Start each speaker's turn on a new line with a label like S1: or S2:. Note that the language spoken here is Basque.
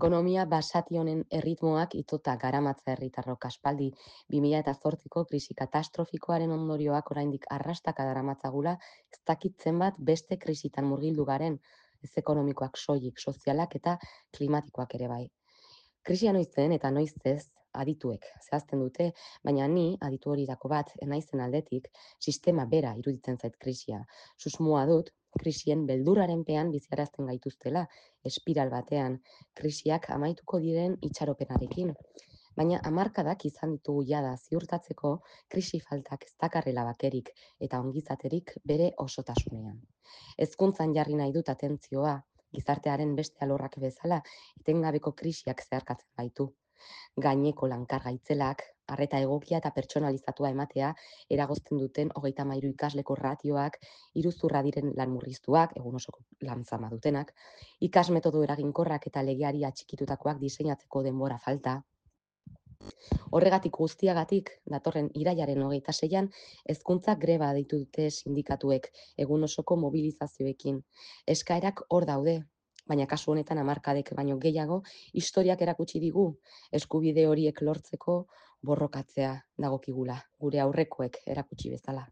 S1: Ekonomia basati honen erritmoak itota garamatza herritarrok aspaldi 2008ko krisi katastrofikoaren ondorioak oraindik arrastaka daramatzagula ez dakit zenbat beste krisitan murgildu garen, ez ekonomikoak soilik, sozialak eta klimatikoak ere bai. Krisia noiz zen eta noiz ez adituek zehazten dute, baina ni aditu horietako bat naizen aldetik sistema bera iruditzen zait krisia. Susmoa dut krisien beldurraren pean biziarazten gaituztela, espiral batean, krisiak amaituko diren itxaropenarekin. Baina hamarkadak izan ditugu jada ziurtatzeko krisi faltak ez dakarrela bakerik eta ongizaterik bere osotasunean. Hezkuntzan jarri nahi dut atentzioa, gizartearen beste alorrak bezala, etengabeko krisiak zeharkatzen gaitu. Gaineko lankar gaitzelak, arreta egokia eta pertsonalizatua ematea, eragozten duten 33 ikasleko ratioak, iruzurra diren lan murriztuak, egun osoko lan zama dutenak, ikasmetodo eraginkorrak eta legeari atxikitutakoak diseinatzeko denbora falta. Horregatik guztiagatik, datorren irailaren 26an, hezkuntza greba deitu dute sindikatuek, egun osoko mobilizazioekin. Eskaerak hor daude, baina kasu honetan hamarkadek baino gehiago historiak erakutsi digu eskubide horiek lortzeko borrokatzea dagokigula, gure aurrekoek erakutsi bezala.